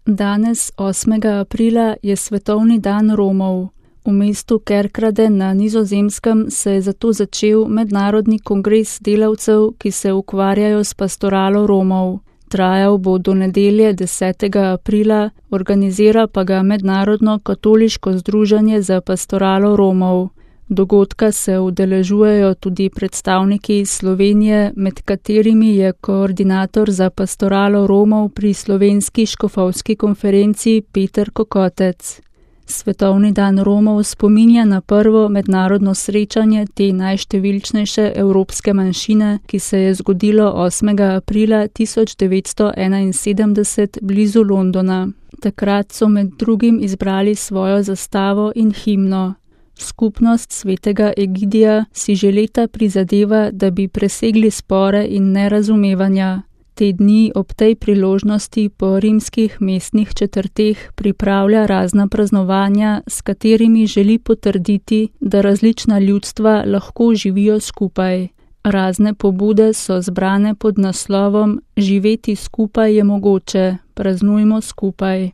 Danes, 8. aprila, je svetovni dan Romov. V mestu Kerkrade na Nizozemskem se je zato začel mednarodni kongres delavcev, ki se ukvarjajo s pastoralo Romov. Trajal bo do nedelje 10. aprila, organizira pa ga Mednarodno katoliško združenje za pastoralo Romov. Dogodka se udeležujejo tudi predstavniki iz Slovenije, med katerimi je koordinator za pastoralo Romov pri Slovenski škofovski konferenci Peter Kokotec. Svetovni dan Romov spominja na prvo mednarodno srečanje te najštevilčnejše evropske manjšine, ki se je zgodilo 8. aprila 1971 blizu Londona. Takrat so med drugim izbrali svojo zastavo in himno. Skupnost svetega Egidija si že leta prizadeva, da bi presegli spore in nerazumevanja. Te dni ob tej priložnosti po rimskih mestnih četrteh pripravlja razna praznovanja, s katerimi želi potrditi, da različna ljudstva lahko živijo skupaj. Razne pobude so zbrane pod naslovom Živeti skupaj je mogoče, praznujmo skupaj.